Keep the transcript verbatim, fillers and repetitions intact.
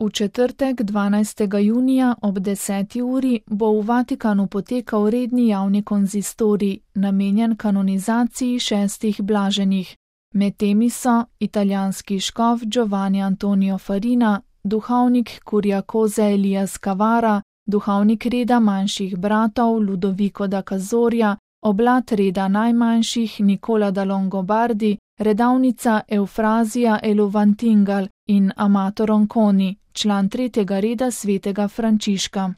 V četrtek, dvanajstega junija ob deseti uri bo v Vatikanu potekal redni javni konzistorij, namenjen kanonizaciji šestih blaženih. Med temi so italijanski škof Giovanni Antonio Farina, duhovnik Kuriakoze Elias Cavara, duhovnik reda manjših bratov Ludovico da Cazorja, oblat reda najmanjših Nicola da Longobardi, redavnica Eufrazija Eluvantingal in Amato Ronconi, član tretjega reda svetega Frančiška.